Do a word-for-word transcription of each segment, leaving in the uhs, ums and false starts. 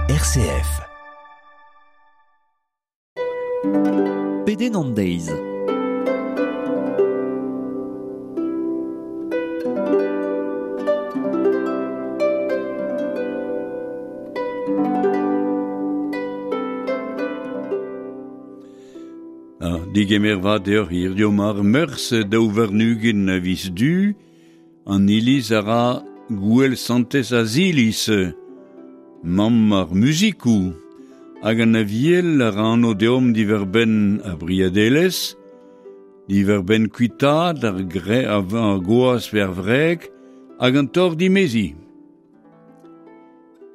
R C F. Pedenn an deiz. Ah, digemer vat deoc'h hiziv ar meurzh daou warn-ugent a viz Du, an iliz a ra gouel santez Aziliz, mamm ar muzikoù, hag an aviel a ra anv deomp diwar-benn ar briadelezh, diwar-benn kuitaat ar gre ar goaz pe ar wreg hag an torr dimezi.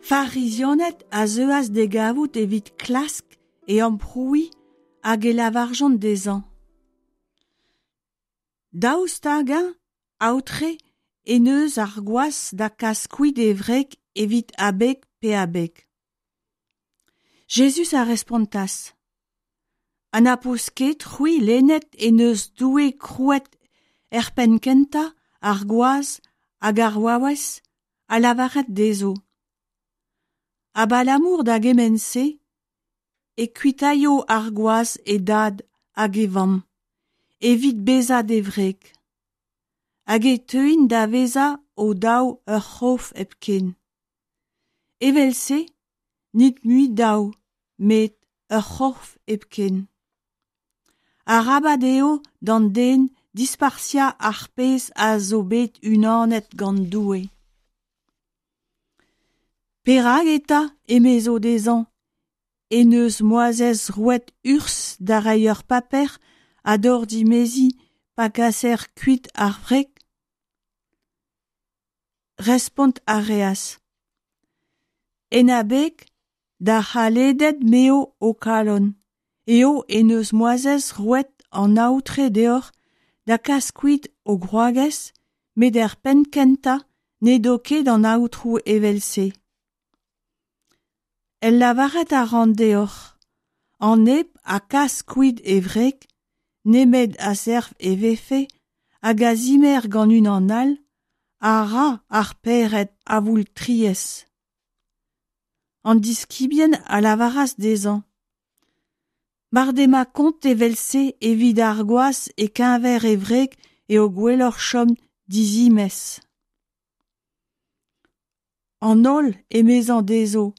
Farizianed a zeuas d'e gavout evit klask e amprouiñ hag e lavarjont dezhañ. Daoust hag-eñ, aotre, en deus ar gwaz da kas kuit e wreg evit abeg pe abeg. Jezuz a respontas. Ha na peus ket c'hwi lennet en deus Doue krouet er penn kentañ ar gwaz hag ar vaouez a lavaret dezho. Abalamour da gement-se, e kuitaio ar gwaz e dad hag e vamm, evit bezañ d'e wreg. Hag e teuint da vezañ o daou ur c'horf hepken. Evel-se, n'int mui daou, met ur c'horf hepken. Arabat eo d'an den dispartiañ ar pezh a zo bet unanet gant Doue. Perak eta, emezo dezhañ, en deus Moizez roet urzh da reiñ ur paper a dorr dimeziñ pa gaser kuit ar wreg? Respont a reas. En abeg d'ar c'haledet m'eo ho kalon, eo en deus Moizez roet an aotre deoc'h da kas kuit ho gwragez, met er penn kentañ n'edo ket an aotrou evel-se. El lavaret a ran deoc'h, an neb a kas kuit e wreg, nemet a-serv e vefe, hag a zimer gant unan all, a ra ar pec'hed avoultriezh. An diskibien a lavaras dezhañ. Mar dema kont evel-se evit ar gwaz e-keñver e wreg eo gwelloc'h chom dizimez. An holl emezañ dezho,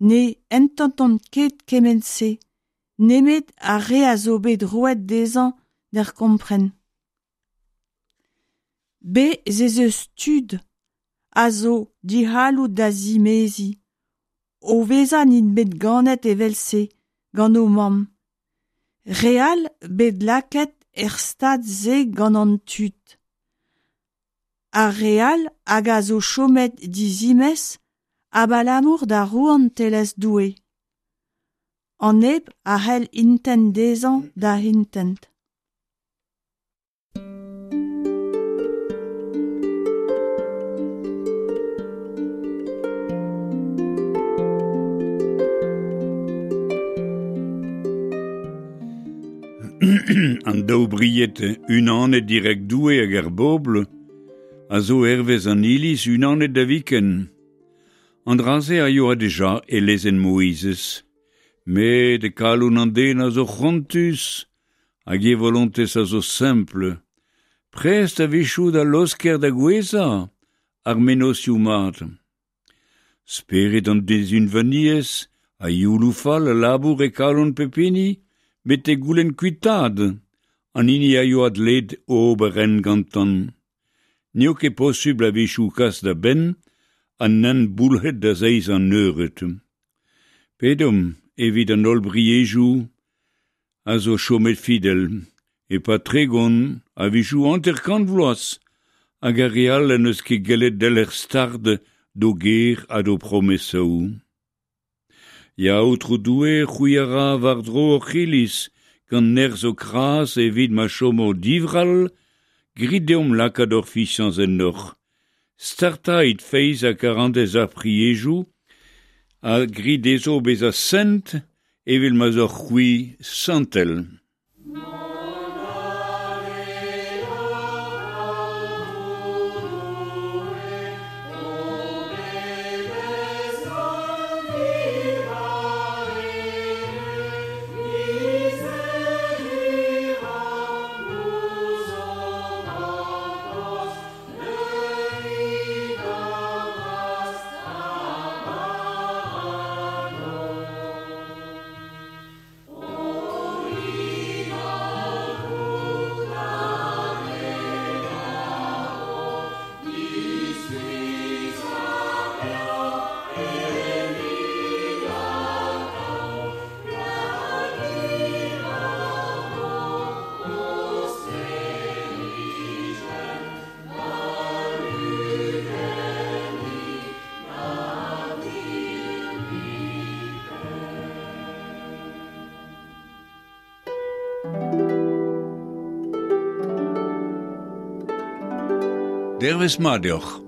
ne ententont ket kement-se, nemet ar re a zo bet roet dezhañ d'er kompren. Bez' ez eus tud a zo dic'halloud da zimeziñ, o vezañ n'int bet ganet evel-se gant o mamm. Re all bet lakaet er stad-se gant an tud. Ar re all hag a zo chomet dizimez abalamour da rouantelezh Doue. An neb a c'hell intent dezhañ da intent. An daou bried unanet dirak Doue hag ar bobl a zo hervez an iliz unanet da viken. An dra-se a yoa deja e lezenn Moizez. Met e kalon an den a zo c'hoantus hag e volontez a zo sempl. Prest a-wechoù da laosker da gouezhañ ar mennozhioù mat. Spered an dezunvaniezh a youloù fall a labour e kalon pep hini, betek goulenn kuitaat, an hini a yoa dleet ober en gantan. N'eo ket posubl a-wechoù kas da benn an hent boulc'het da zeiz an eured. Pedomp evit an holl briejoù a zo chomet fidel, e-pad tregont a-wechoù hanter-kant vloaz, hag ar re all n'eus ket gellet delc'her start d'o ger ha d'o promesaoù. Ya aotrou Doue c'hwi a ra war-dro hoc'h iliz, gant nerzh ho kras evit ma chomo divrall, grit deomp lakaat hor fiziañs ennoc'h. Startait feiz ha karantez ar priejoù, ha grit dezho bezañ sent evel ma'z oc'h c'hwi santel. Dervezh mat deoc'h.